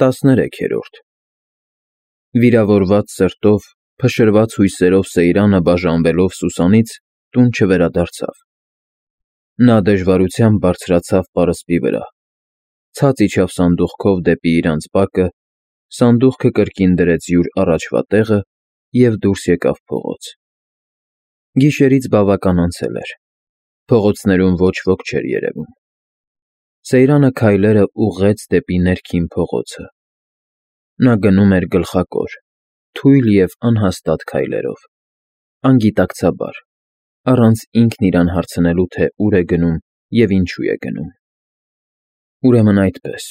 13-րդ Վիրավորված սրտով, փշրված հույսերով Սեյրանը բաժանվելով Սուսանից տուն չվերադարձավ։ Նա դժվարությամբ բարձրացավ պարսպի վրա, ցած իջավ սանդուղքով դեպի իրանց բակը, սանդուղքը կրկին դրեց յուր առաջվա տեղը և դուրս եկավ փողոց։ Գիշերից բավական անցել էր, փողոցներում ոչ ոք չէր երևում։ Սեյրանը քայլերը ուղղեց դեպի ներքին փողոցը։ Նա գնում էր գլխակոր, թույլ և անհաստատ քայլերով, անգիտակցաբար, առանց ինքն իրան հարցնելու, թե ուր է գնում և ինչու է գնում։ Ուրեմն այդպես,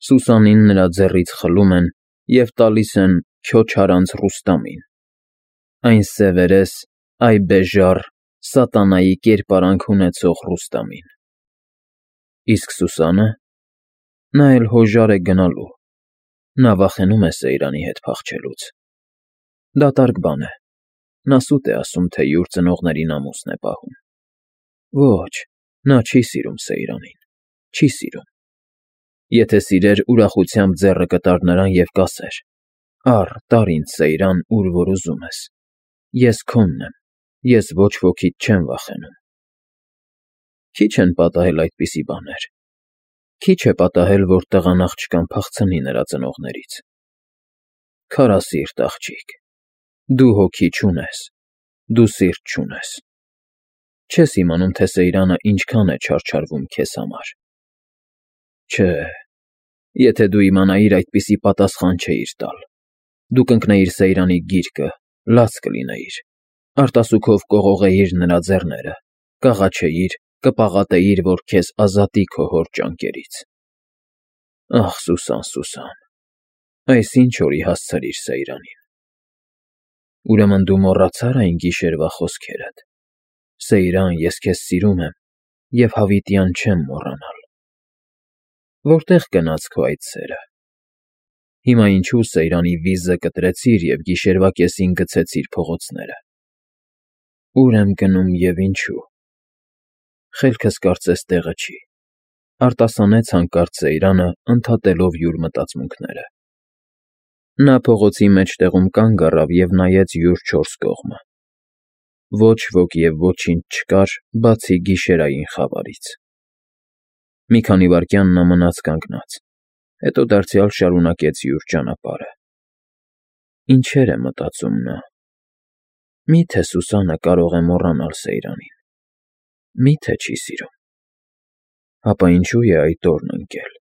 Սուսանին նրա ձեռից խլում են և տալիս են Քյոչարանց Ռուստամին, այն սևերես, այ բեժառ, սատանայի կերպարանք ունեցող Ռուստամին։ Իսկ Սուսա՞նը։ Նա էլ հոժար է գնալու, նա վախենում է Սեյրանի հետ փախչելուց։ Դատարկ բան է, նա սուտ է ասում, թե յուր ծնողներին ամուսն է պահում։ Ոչ, նա չի սիրում Սեյրանին, չի սիրում։ Եթե սիրեր, ուրախությամբ ձեռը կտար նրան և կասեր. «Առ, տար ինձ, Սեյրան, ուր որ ուզում ես, ես քոնն եմ, ես ոչ ոքիդ չեմ վախենում»։ Քիչ են պատահել այդպիսի բաներ։ Քիչ է պատահել, որ տղան աղջկան փախցնի նրա ծնողներից։ Քարասիրտ աղջիկ, դու հոգի չունես, դու սիրտ չունես։ Չես իմանում, թե Սեյրանը ինչքան է չարչարվում քեզ համար։ Չէ, եթե դու իմանայիր, այդպիսի պատասխան չէիր տալ։ Դու կընկնեիր Սեյրանի գիրկը, լաց կլինեիր, արտասուքով կողողեիր նրա ձեռները, կաղաչեիր, կպաղատեիր, որ քեզ ազատի քո հոր ճանկերից։ Ախ, Սուսան, Սուսան, այս ինչ օրի հասցրիր Սեյրանին։ Ուրեմն դու մոռացա՞ր այն գիշերվա խոսքերդ. Սեյրան, ես քեզ սիրում եմ և հավիտյան չեմ մոռանալ։ Որտե՞ղ գնաց քո այդ սերը։ Հիմա ինչու Սեյրանի վիզը կտրեցիր և գիշերվա կեսին գցեցիր փողոցները։ Ուր եմ գնում և ինչու։ Խելքս կարծես տեղը չի, արտասանեց հանկարծ Սեյրանը, ընդհատելով յուր մտածմունքները։ Նա փողոցի մեջտեղում կանգ առավ և նայեց յուր չորս կողմը։ Ոչ ոք և ոչինչ չկար, բացի գիշերային խավարից։ Մի քանի վայրկյան նա մնաց կանգնած, հետո դարձյալ շարունակեց յուր ճանապարհը։ Ինչեր է մտածում նա։ Մի՞թե Սուսանը կարող է մոռանալ Սեյրանին։ Մի՞թե չի սիրում։ Ապա ինչու է այդ օրն ընկել,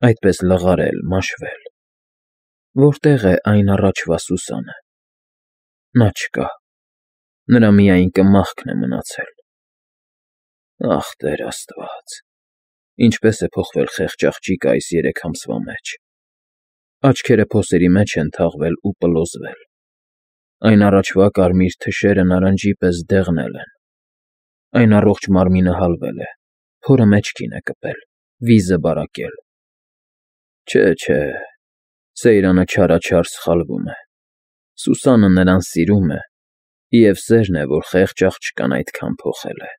այդպես լղարել, մաշվել։ Որտե՞ղ է այն առաջվա Սուսանը։ Նա չկա, նրա միայն կմախքն է մնացել։ Ախ, Տեր Աստված, ինչպես է փոխվել խեղճ աղջիկը այս 3 ամսվա մեջ։ Աչքերը փոսերի մեջ են թաղվել ու պլոզվել։ Այն առաջվա կարմիր թշերը նարնջի պես դեղնել են։ Այն առողջ մարմինը հալվել է, փորը մեջքին է կպել, վիզը բարակել։ Չէ, Սեյրանը չարաչար սխալվում է։ Սուսանը նրան սիրում է, և սերն է, որ խեղճ աղջկան այդքան փոխել է։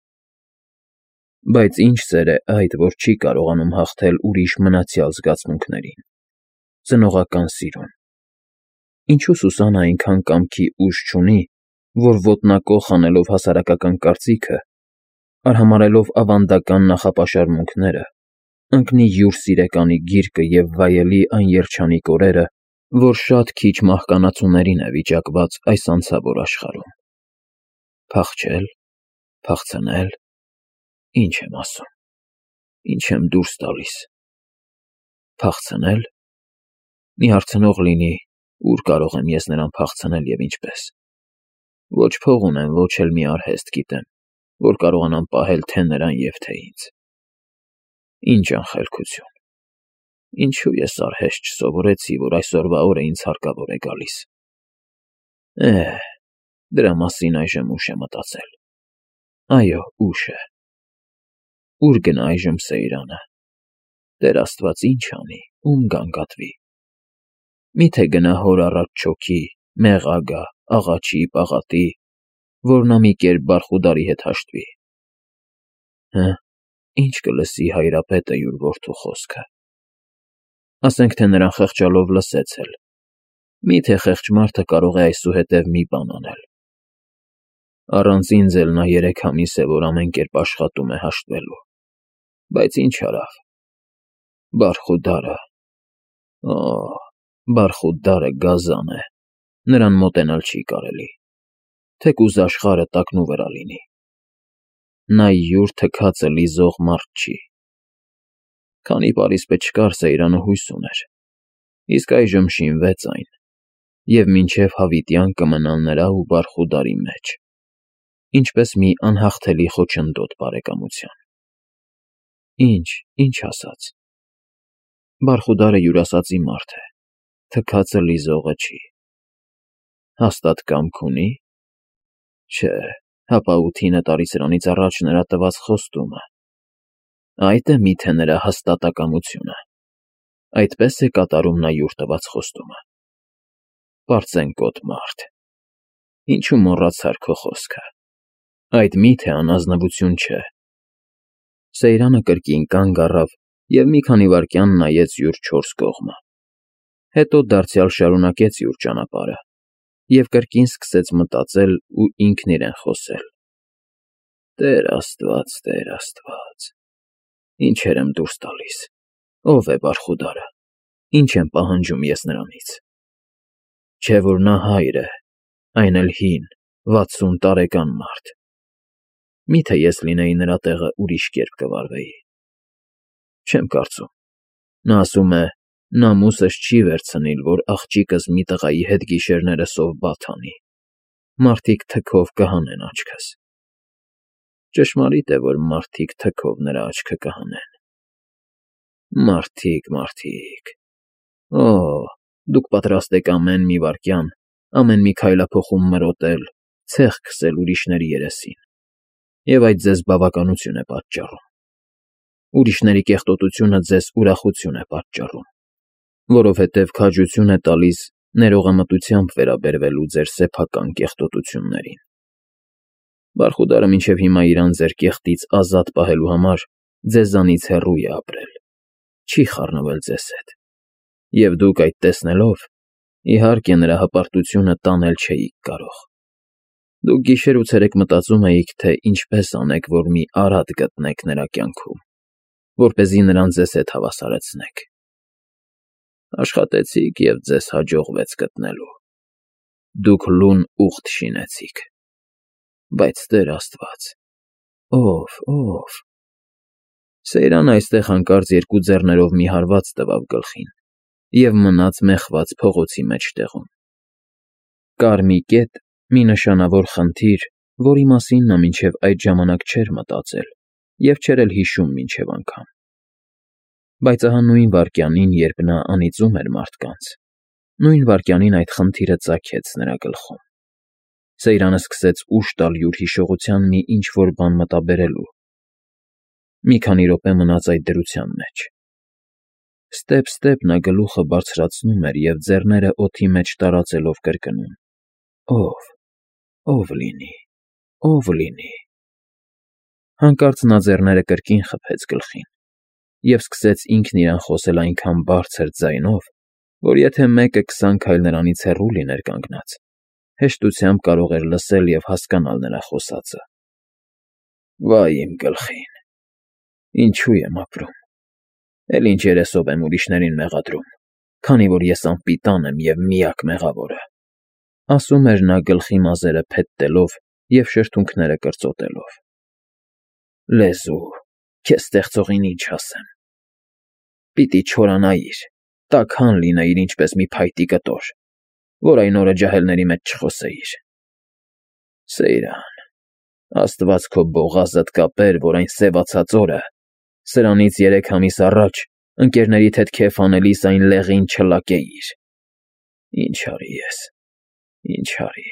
Բայց ինչ սեր է այդ, որ չի կարողանում հաղթել ուրիշ մնացյալ զգացմունքներին, ծնողական սիրուն։ Ինչու Սուսանը այնքան կամքի ուժ չունի, որ ոտնակոխ անելով հասարակական կարծիքը, արհամարհելով ավանդական նախապաշարմունքները, ընկնի յուր սիրեկանի գիրկը և վայելի այն երջանիկ օրերը, որ շատ քիչ մահկանացուներին է վիճակված այս անցավոր աշխարհում։ Փախչել, փախցնել, ինչ եմ ասում, ինչ եմ դուրս տալիս։ Փախցնել։ Մի հարցնող լինի, ուր կարող եմ ես նրան փախցնել և ինչպես։ Ոչ փող ունեմ, ոչ էլ մի արհեստ գիտեմ, որ կարողանամ պահել թե նրան և թե ինձ։ Ինչ անխելքություն։ Ինչու ես արհեստ չսովորեցի, որ այսօրվա օրը ինձ հարկավոր է գալիս։ Դրա մասին այժմ ուշ է մտածել։ Այո, ուշ է։ Ուր գնա այժմ Սեյրանը։ Տեր Աստված, ինչ անի, ում գանգատվի։ Մի՞թե գնա հոր առաջ չոքի, մեղա գա, աղաչի, պաղատի, որ նա մի կերպ Բարխուդարի հետ հաշտվի։ Ինչ կլսի հայրապետը յուր որդու խոսքը։ Ասենք թե նրան խղճալով լսեց էլ։ Մի՞թե խեղճ մարդը կարող է այսուհետև մի բան անել։ Առանց ինձ էլ նա 3 ամիս է, որ ամեն կերպ աշխատում է հաշտվելու, բայց ինչ արավ։ Բարխուդարը, Բարխուդարը գազան է, նրան մոտենալ չի կարելի, թեկուզ աշխարհը տակնու վրա լինի։ Նա յուր թքածը լիզող մարդ չի։ Քանի պարիսպը չկար, Սեյրանը հույս ուներ, իսկ այժմ շինվեց այն, և մինչև հավիտյան կմնալ նրա ու Բարխուդարի մեջ, ինչպես մի անհաղթելի խոչընդոտ բարեկամության։ Ինչ ասած։ Բարխուդարը յուրասածի մարդ է, թքածը լիզողը չի։ Հաստատ կամք ունի՞։ Չէ, հապա 8-9 տարի սրանից առաջ նրա տված խոստումը։ Այդ է միթե նրա հաստատակամությունը։ Այդպես է կատարում նա յուր տված խոստումը։ Պարծենկոտ մարդ, ինչու մոռացար քո խոսքը։ Այդ միթե անազնվություն չէ։ Սեյրանը կրկին կանգ առավ և մի քանի վայրկյան նայեց յուր 4 կողմը։ Հետո դարձյալ շարունակեց յուր ճանապարհը և կրկին սկսեց մտածել ու ինքն իրեն խոսել. Տեր Աստված, ինչեր եմ դուրս տալիս, ով է Բարխուդարը, ինչ եմ պահանջում ես նրանից։ Չէ որ նա հայր է, այն էլ հին, 60 տարեկան մարդ։ Միթե ես լինեի նրա տեղը ուրիշ կերպ կվարվեի։ Չեմ կարծում։ Նա ասում է. նամուսս չի վերցնիլ, որ աղջիկս մի տղայի հետ գիշերները սով բադ անի, մարդիկ թքով կհանեն աչքս։ Ճշմարիտ է, որ մարդիկ թքով նրա աչքը կհանեն։ Մարդիկ, դուք պատրաստ եք ամեն մի վայրկյան, ամեն մի քայլափոխում մրոտել, ցեխ քսել ուրիշների երեսին, և այդ ձեզ բավականություն է պատճառում։ Ուրիշների կեղտոտությունը ձեզ ուրախություն է պատճառում, որովհետև քաջություն է տալիս ներողամտությամբ վերաբերվելու ձեր սեփական կեղտոտություններին։ Բարխուդարը մինչև հիմա իր անձեր կեղտից ազատ պահելու համար ձեզանից հեռու է ապրել, չի խառնվել ձեզ հետ, և դուք այդ տեսնելով, իհարկե նրա հպարտությունը տանել չէիք կարող։ Դուք գիշեր ու ցերեկ մտածում էիք, թե ինչպես անեք, որ մի արատ գտնեք նրա կյանքում, որպեսզի նրան ձեզ հետ հավասարեցնեք։ Աշխատեցիք և ձեզ հաջողվեց գտնելու։ Դուք լուն ուղտ շինեցիք։ Բայց Տեր Աստված, ով։ Սեյրանը այստեղ հանկարծ 2 ձեռներով մի հարված տվավ գլխին և մնաց մեխված փողոցի մեջտեղում։ Կար մի կետ, մի նշանավոր խնդիր, որի մասին նա մինչև այդ ժամանակ չէր մտածել և չէր էլ հիշում մինչև անգամ։ Բայց ահա նույն վայրկյանին, երբ նա անիծում էր մարդկանց, նույն վայրկյանին այդ խնդիրը ծագեց նրա գլխում։ Սեյրանը սկսեց ուժ տալ յուր հիշողության մի ինչ֊որ բան մտաբերելու։ Մի քանի րոպե մնաց այդ դրության մեջ։ Ստեպ նա գլուխը բարձրացնում էր և ձեռները օդի մեջ տարածելով կրկնում. Ով լինի։ Հանկարծ նա ձեռները կրկին խփեց գլխին և սկսեց ինքն իրան խոսել այնքան բարձր ձայնով, որ եթե մեկը 20 քայլ նրանից հեռու լիներ կանգնած, հեշտությամբ կարող էր լսել և հասկանալ նրա խոսածը. Վայ իմ գլխին, ինչու եմ ապրում, էլ ինչ երեսով եմ ուրիշներին մեղադրում, քանի որ ես անպիտան եմ և միակ մեղավորը, ասում էր նա գլխի մազերը փետտելով և շրթունքները կրծոտելով։ Լեզու, քեզ ստեղծողին ինչ ասեմ։ Պիտի չորանայիր, տաքան լինեիր ինչպես մի փայտի կտոր, որ այն օրը ջահելների մեջ չխոսեիր։ Սեյրան, Աստված քո բողազդ կապեր, որ այն սևացած օրը, սրանից 3 ամիս առաջ, ընկերներիդ հետ քեֆ անելիս այն լեղին չլակեիր։ Ինչ արի ես, ինչ արի։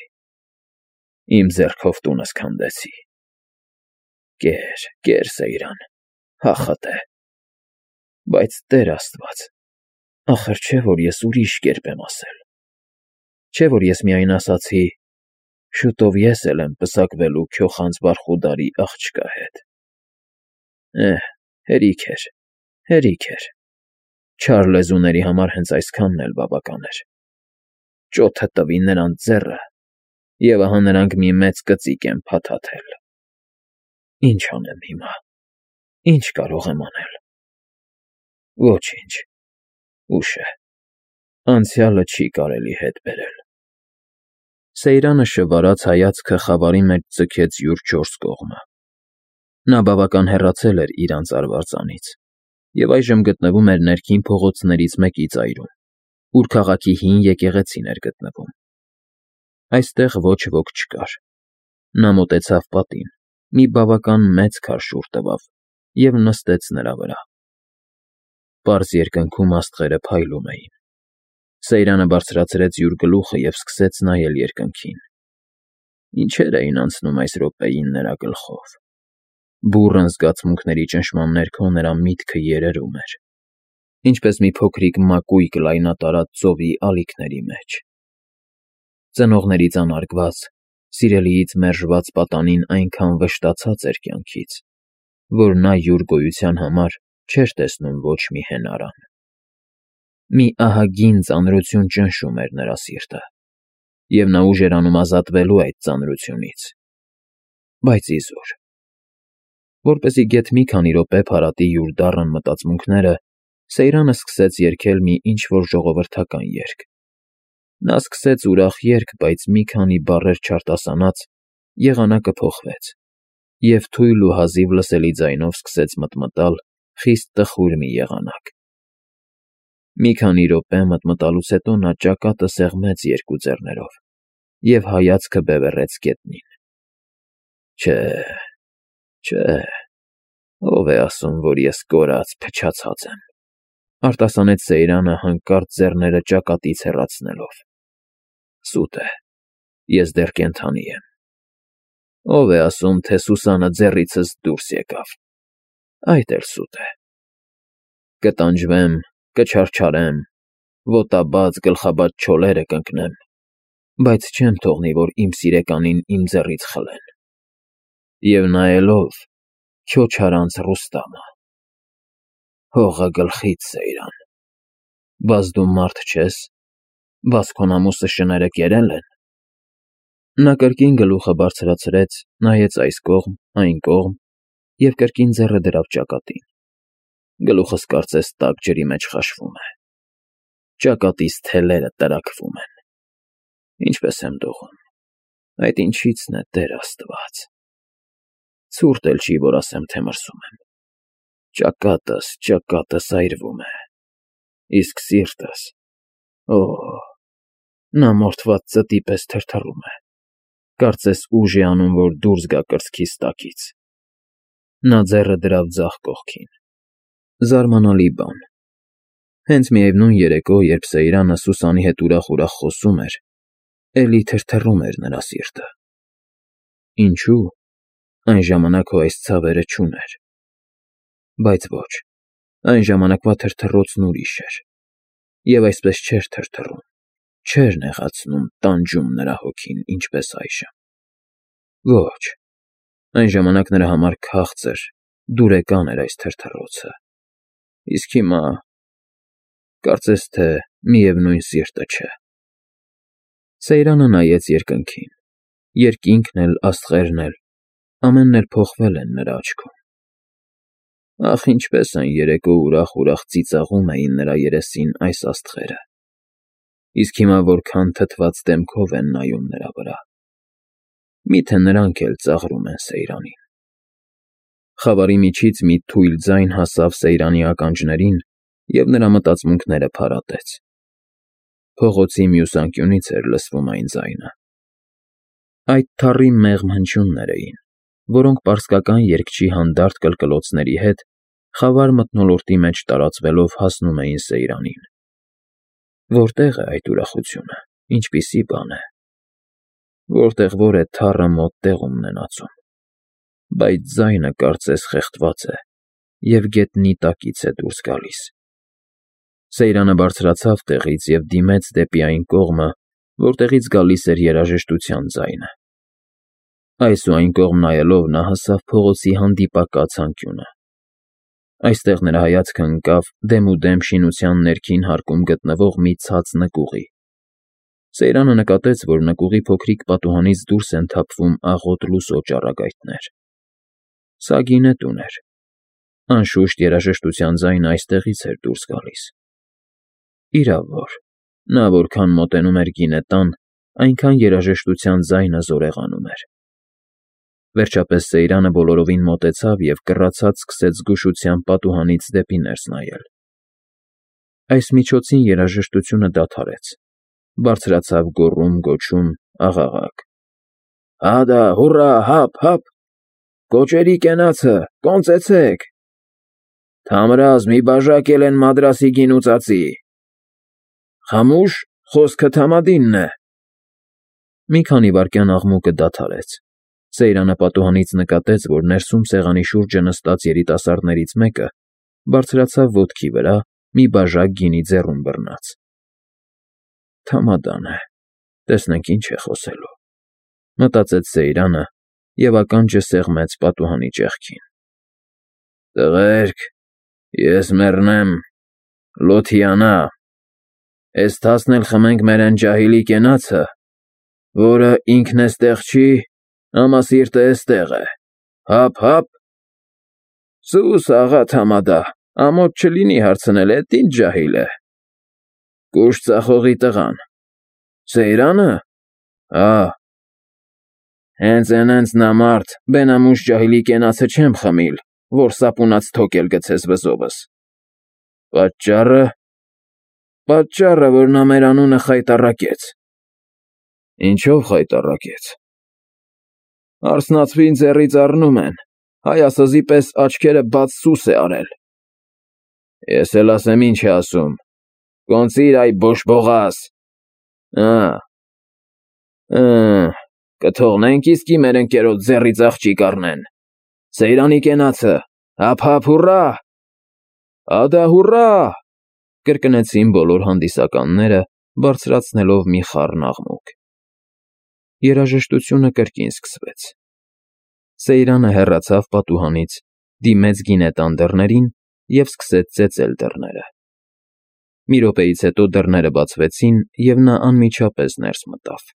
Իմ ձեռքով տունս քանդեցի։ Կեր, Սեյրան, հա խտե։ Բայց Տեր Աստված, ախր չէ՞ որ ես ուրիշ կերպ եմ ասել։ Չէ՞ որ ես միայն ասացի. շուտով ես էլ եմ պսակվելու քյոխանց Բարխուդարի աղջկա հետ։ Հերիք էր։ Չար լեզուների համար հենց այսքանն էլ բավական էր։ Ճոթը տվի նրանց ձեռը, և ահա նրանք մի մեծ կծիկ են փաթաթել։ Ինչ անեմ հիմա, ինչ կարող եմ անել։ Ոչինչ, ուշ է, անցյալը չի կարելի հետ բերել։ Սեյրանը շվարած հայացքը խավարի մեջ ձգեց յուր չորս կողմը։ Նա բավական հեռացել էր իր անծարվարձանից և այժմ գտնվում էր ներքին փողոցներից մեկի ծայրում, ուր քաղաքի հին եկեղեցին էր գտնվում։ Այստեղ ոչ ոք չկար։ Նա մոտեցավ պատին, մի բավական մեծ քարշուր տվավ և նստեց նրա վրա։ Պարզ երկնքում աստղերը փայլում էին։ Սեյրանը բարձրացրեց յուր գլուխը և սկսեց նայել երկնքին։ Ինչեր էին անցնում այս րոպեին նրա գլխով։ Բուռն զգացմունքների ճնշման ներքո նրա միտքը երերում էր, ինչպես մի փոքրիկ մակույկ լայնատարած ծովի ալիքների մեջ։ Ծնողներից անարգված, սիրելիից մերժված պատանին այնքան վշտացած էր կյանքից, որ նա յուր գոյության համար չէր տեսնում ոչ մի հենարան։ Մի ահագին ծանրություն ճնշում էր նրա սիրտը, և նա ուժ էր անում ազատվելու այդ ծանրությունից, բայց իզուր։ Որպեսզի գեթ մի քանի րոպե փարատի յուր դառն մտածմունքները, Սեյրանը սկսեց երգել մի ինչ-որ ժողովրդական երգ։ Նա սկսեց ուրախ երգ, բայց մի քանի բառեր չարտասանած, եղանակը փոխվեց, և թույլ ու հազիվ լսելի ձայնով սկսեց մտմտալ խիստ տխուր մի եղանակ։ Մի քանի րոպե մտմտալուց հետո նա ճակատը սեղմեց երկու ձեռներով և հայացքը բևեռեց գետնին։ Չէ, չէ, ով է ասում, որ ես կորած, փչացած եմ, արտասանեց Սեյրանը հանկարծ ձեռները ճակատից հեռացնելով։ Սուտ է, ես դեռ կենդանի եմ։ Ով է ասում, թե Սուսանը ձեռիցս դուրս եկավ, այդ էլ սուտ է։ Կտանջվեմ, կչարչարեմ, ոտաբաց, գլխաբաց չոլերը կընկնեմ, բայց չեմ թողնի, որ իմ սիրեկանին իմ ձեռից խլեն։ Եվ նայելով քյոչարանց Ռուստամը։ Հողը գլխից, Սեյրան, բաս դու մարդ չես, բաս քո նամուսը շները կերել են։ Նա կրկին գլուխը բարձրացրեց, նայեց այս կողմ, այն կողմ և կրկին ձեռը դրավ ճակատին։ Գլուխս կարծես տաք ջրի մեջ խաշվում է։ Ճակատիս թելերը տրաքվում են։ Ինչպես եմ դողում։ Այդ ինչի՞ցն է, Տեր Աստված։ Ցուրտ էլ չի, որ ասեմ, թե մրսում եմ։ Ճակատս այրվում է։ Իսկ սիրտս, օ, նա մորթված ծտի պես թրթռում է։ Կարծես ուժ է անում, որ դուրս գա կրծքիս տակից։ Նա ձեռը դրավ ձախ կողքին։ Զարմանալի բան։ Հենց միևնույն երեկո, երբ Սեյրանը Սուսանի հետ ուրախ խոսում էր, էլի թրթռում էր նրա սիրտը։ Ինչու՞։ Այն ժամանակ հո այս ցավերը չուներ։ Բայց ոչ, այն ժամանակվա թրթռոցն ուրիշ էր։ Եվ այսպես չէր թրթռում, չէր նեղացնում, տանջում նրա հոգին, ինչպես այժմ։ Ոչ, այն ժամանակ նրա համար քաղցր, դուրեկան էր այս թրթռոցը։ Իսկ հիմա… կարծես թե միևնույն սիրտը չէ։ Սեյրանը նայեց երկնքին։ Երկինքն էլ, աստղերն էլ, ամենն էլ փոխվել են նրա աչքում։ Ախ, ինչպես այն երեկո ուրախ ծիծաղում էին նրա երեսին այս աստղերը։ Իսկ հիմա որքան թթված դեմքով են նայում նրա վրա։ Միթե նրանք էլ ծաղրում են Սեյրանին։ Խավարի միջից մի թույլ ձայն հասավ Սեյրանի ականջներին և նրա մտածմունքները փարատեց։ Փողոցի մյուս անկյունից էր լսվում այն ձայնը։ Այդ թառի մեղմ հնչյուններ էին, որոնք պարսկական երգչի հանդարտ կլկլոցների հետ խավար մթնոլորտի մեջ տարածվելով հասնում էին Սեյրանին։ Որտե՞ղ է այդ ուրախությունը, ինչպիսի բան է։ Որտեղ որ է թառը մոտ տեղում նենացում։ Բայց ձայնը կարծես խեղդված է և գետնի տակից է դուրս գալիս։ Սեյրանը բարձրացավ տեղից և դիմեց դեպի այն կողմը, որտեղից գալիս էր երաժշտության ձայնը։ Այս ու այն կողմ նայելով նա հասավ փողոցի հանդիպակաց անկյունը։ Այստեղ նրա հայացքը ընկավ դեմուդեմ շինության ներքին հարկում գտնվող մի ցած նկուղի։ Սեյրանը նկատեց, որ նկուղի փոքրիկ պատուհանից դուրս են թափվում աղոտ լուսո ճառագայթներ։ Սա գինետուն էր։ Անշուշտ երաժշտության ձայնը այստեղից էր դուրս գալիս։ Իրավ որ, նա որքան մոտենում էր գինետան, այնքան երաժշտության ձայնը զորեղանում էր։ Վերջապես Սեյրանը բոլորովին մոտեցավ և կռացած սկսեց զգուշությամբ պատուհանից դեպի ներս նայել։ Այս միջոցին երաժշտությունը դադարեց, բարձրացավ գոռում-գոչում, աղաղակ. «Հադա, հուռա, հափ, հափ, կոճերի կենացը, կոնծեցեք, թամրազ մի բաժակ էլ են Մադրասի գինուծածի, խամուշ, խոսքը Թամադինն է»։ Մի քանի վայրկյան աղմուկը դադարեց։ Սեյրանը պատուհանից նկատեց, որ ներսում սեղանի շուրջը նստած երիտասարդներից մեկը բարձրացավ ոտքի վրա, մի բաժակ գինի ձեռում բռնած։ Թամադան է, տեսնենք ինչ է խոսելու, մտածեց Սեյրանը և ականջը սեղմեց պատուհանի ճեղքին։ «Տղերք, ես մեռնեմ, Լոթիանա, էս տասն էլ խմենք մեր են ջահիլի կենացը, որը ինքն էստեղ չի, ամասիրտը էստեղ է, հափ, հափ»։ Սուս, աղա Թամադա, ամոթ չլինի հարցնել, էդ ինչ ջահիլ է։ Կուշտ ծախողի տղան։ Սեյրանը։ Հա։ Հենց էնենց նա մարդ, բենամուշ ջահիլի կենացը չեմ խմիլ, որ սապունած թոկ էլ գցես վզովս։ Պատճառը, որ նա մեր անունը խայտառակեց։ Ինչո՞վ խայտառակեց։ Արսնացվին ձեռից առնում են, հայասզի պես աչքերը բաց սուս է արել։ Ես էլ ասեմ ինչ է ասում, կոնծիր այ բոշբողաս։ Կթողնենք իսկի մեր ընկերոջ ձեռից աղջիկ առնեն։ Սեյրանի կենացը, հափ, հափ, հուռա։ Հադա, հուռա, կրկնեցին բոլոր հանդիսականները, բարձրացնելով մի խառն աղմուկ։ Երաժշտությունը կրկին սկսվեց։ Սեյրանը հեռացավ պատուհանից, դիմեց գինետան դռներին և սկսեց ծեծել դռները։ Մի րոպեից հետո դռները բացվեցին, և նա անմիջապես ներս մտավ։